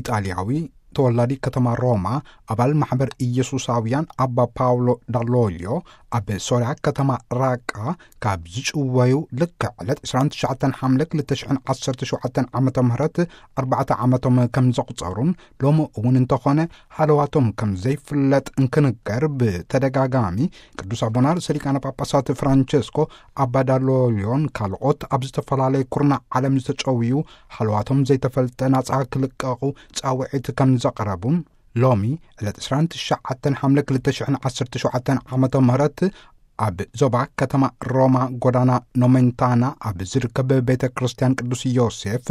ኢጣልያዊ ተወላዲ ከተማ ሮማ፣ ኣባል ማሕበር ኢየሱሳውያን ኣባ ፓውሎ ዳሎልዮ፣ ኣብ ሶርያ ከተማ ራቃ ካብ ዝጭወዩ ልክዕ ዕለት ዕስራን ትሽዓተን ሓምለ ክልተ ሽሕን ዓሰርተ ሸውዓተን ዓመተ ምህረት ኣርባዕተ ዓመቶም ከም ዘቑጸሩን፣ ሎሚ እውን እንተኾነ ሃለዋቶም ከም ዘይፍለጥ እንክንገር ብተደጋጋሚ ቅዱስ ኣቦና ርእሰ ሊቃነ ጳጳሳት ፍራንቸስኮ ኣባ ዳሎልዮን ካልኦት ኣብ ዝተፈላለየ ኩርናዕ ዓለም ዝተጨውዩ ሃለዋቶም ዘይተፈልጠ ናጻ ክልቀቑ ጻውዒት ከም ዘቕረቡን፣ ሎሚ ዕለት ዕስራን ትሽዓተን ሓምለ ክልተ ሽሕን ዓሰርተ ሸውዓተን ዓመተ ምህረት ኣብ ዞባ ከተማ ሮማ ጎዳና ኖሜንታና ኣብ ዝርከብ ቤተ ክርስቲያን ቅዱስ ዮሴፍ፣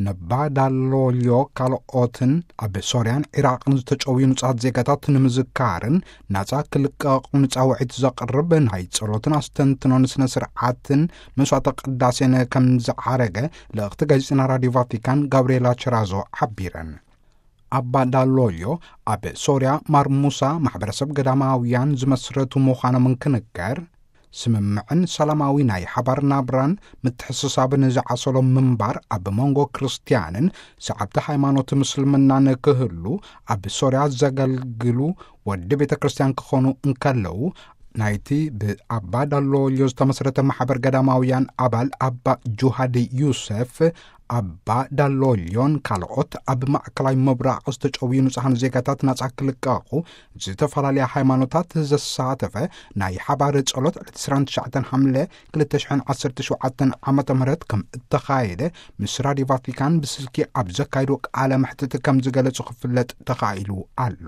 ነባ ዳሎልዮ ካልኦትን ኣብ ሶርያን ዒራቕን ዝተጨውዩ ንጹሃት ዜጋታት ንምዝካርን ናጻ ክልቀቑ ንጻውዒት ዘቕርብ ናይ ጸሎትን ኣስተንትኖን ስነ ስርዓትን መስዋዕተ ቅዳሴን ከም ዝዓረገ ልእኽቲ ጋዜጠና ራዲዮ ቫቲካን ጋብርኤላ ቸራዞ ሓቢረን። ኣባ ዳሎልዮ ኣብ ሶርያ ማርሙሳ ማሕበረሰብ ገዳማውያን ዝመስረቱ ምዃኖም እንክንገር፣ ስምምዕን ሰላማዊ ናይ ሓባር ናብራን ምትሕስሳብን ዝዓሰሎም ምንባር ኣብ መንጎ ክርስትያንን ሰዓብቲ ሃይማኖት ምስልምናን ክህሉ ኣብ ሶርያ ዘገልግሉ ወዲ ቤተ ክርስቲያን ክኾኑ እንከለዉ፣ ናይቲ ብኣባ ዳሎልዮ ዝተመስረተ ማሕበር ገዳማውያን ኣባል ኣባ ጁሃዲ ዩሰፍ፣ ኣባ ዳሎልዮን ካልኦት ኣብ ማእከላይ ምብራቕ ዝተጨውዩ ንጹሃን ዜጋታት ናጻ ክልቀቑ ዝተፈላለያ ሃይማኖታት ዘሳተፈ ናይ ሓባር ጸሎት ዕለት ዕስራን ትሽዓተን ሓምለ ክልተ ሽሕን ዓሰርተ ሸውዓተን ዓመተ ምህረት ከም እተኻየደ ምስ ራዲዮ ቫቲካን ብስልኪ ኣብ ዘካይዶ ቃለ መሕትት ከም ዝገለጹ ክፍለጥ ተኻኢሉ ኣሎ።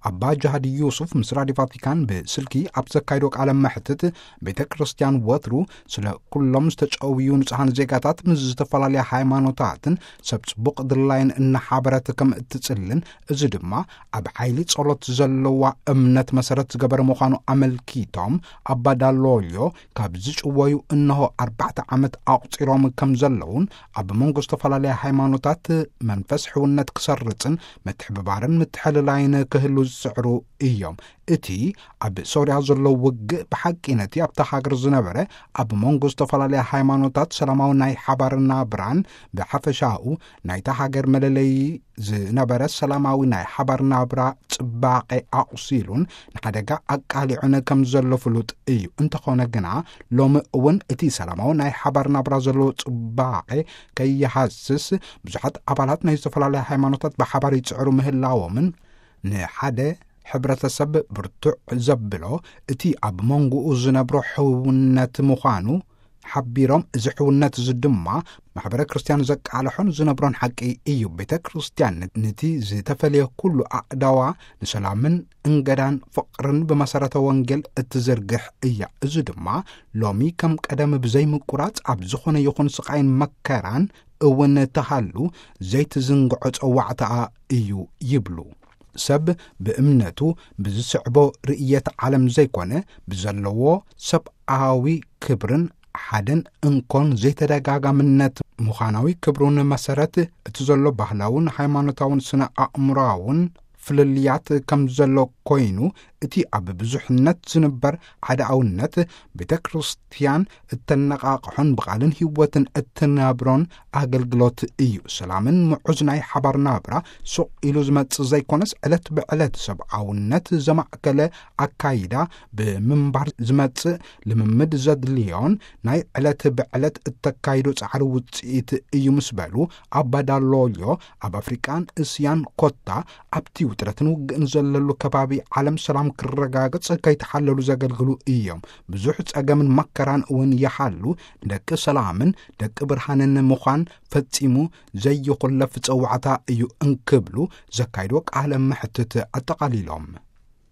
ኣባ ጃሃዲ ዩሱፍ ምስ ራዲዮ ቫቲካን ብስልኪ ኣብ ዘካይዶ ቃለ መሕትት፣ ቤተ ክርስቲያን ወትሩ ስለ ኩሎም ዝተጨውዩ ንጹሃን ዜጋታት ምስ ዝተፈላለያ ሃይማኖታትን ሰብ ጽቡቕ ድላይን እናሓበረት ከም እትጽልን፣ እዚ ድማ ኣብ ሓይሊ ጸሎት ዘለዋ እምነት መሰረት ዝገበረ ምዃኑ ኣመልኪቶም፣ ኣባ ዳሎልዮ ካብ ዝጭወዩ እንሆ ኣርባዕተ ዓመት ኣቑጺሮም ከም ዘለዉን፣ ኣብ መንጎ ዝተፈላለያ ሃይማኖታት መንፈስ ሕውነት ክሰርጽን ምትሕብባርን ምትሕልላይን ክህሉ ዝጽዕሩ እዮም። እቲ ኣብ ሶርያ ዘሎ ውግእ ብሓቂ ነቲ ኣብታ ሃገር ዝነበረ ኣብ መንጎ ዝተፈላለያ ሃይማኖታት ሰላማዊ ናይ ሓባር ናብራን ብሓፈሻኡ ናይታ ሃገር መለለዪ ዝነበረ ሰላማዊ ናይ ሓባር ናብራ ጽባቐ ኣቑሲሉን ንሓደጋ ኣቃሊዑን ከም ዘሎ ፍሉጥ እዩ። እንተኾነ ግና ሎሚ እውን እቲ ሰላማዊ ናይ ሓባር ናብራ ዘለዎ ጽባቐ ከይሃስስ ብዙሓት ኣባላት ናይ ዝተፈላለያ ሃይማኖታት ብሓባር ይጽዕሩ ምህላዎምን ንሓደ ሕብረተሰብ ብርቱዕ ዘብሎ እቲ ኣብ መንጎኡ ዝነብሮ ሕውነት ምዃኑ ሓቢሮም፣ እዚ ሕውነት እዚ ድማ ማሕበረ ክርስቲያን ዘቃልሖን ዝነብሮን ሓቂ እዩ። ቤተ ክርስቲያን ነቲ ዝተፈልየ ኩሉ ኣእዳዋ ንሰላምን እንገዳን ፍቕርን ብመሰረተ ወንጌል እትዝርግሕ እያ። እዚ ድማ ሎሚ ከም ቀደም ብዘይምቁራጽ ኣብ ዝኾነ ይኹን ስቓይን መከራን እውን ተሃሉ ዘይትዝንግዖ ጸዋዕታኣ እዩ ይብሉ። ሰብ ብእምነቱ ብዝስዕቦ ርእየት ዓለም ዘይኮነ፣ ብዘለዎ ሰብኣዊ ክብርን ሓደን እንኮን ዘይተደጋጋምነት ምዃናዊ ክብሩን መሰረት እቲ ዘሎ ባህላውን ሃይማኖታውን ስነ ኣእምሮኣውን ፍልልያት ከም ዘሎ ኮይኑ፣ እቲ ኣብ ብዙሕነት ዝንበር ሓደኣውነት ቤተ ክርስቲያን እተነቓቕሖን ብቓልን ህይወትን እትነብሮን ኣገልግሎት እዩ። ሰላምን ምዑዝ ናይ ሓባር ናብራ ሱቕ ኢሉ ዝመጽእ ዘይኮነስ፣ ዕለት ብዕለት ሰብኣውነት ዘማእከለ ኣካይዳ ብምንባር ዝመጽእ ልምምድ ዘድልዮን ናይ ዕለት ብዕለት እተካይዶ ጻዕሪ ውጽኢት እዩ ምስ በሉ፣ ኣባ ዳሎልዮ ኣብ ኣፍሪቃን እስያን ኮታ ኣብቲ ውጥረትን ውግእን ዘለሉ ከባቢ ዓለም ሰላም ክረጋገጽ ከይተሓለሉ ዘገልግሉ እዮም። ብዙሕ ጸገምን መከራን እውን ይሓሉ፣ ደቂ ሰላምን ደቂ ብርሃንን ምዃን ፈጺሙ ዘይኹለፍ ጸዋዕታ እዩ እንክብሉ ዘካይድዎ ቃለ መሕትት ኣጠቓሊሎም።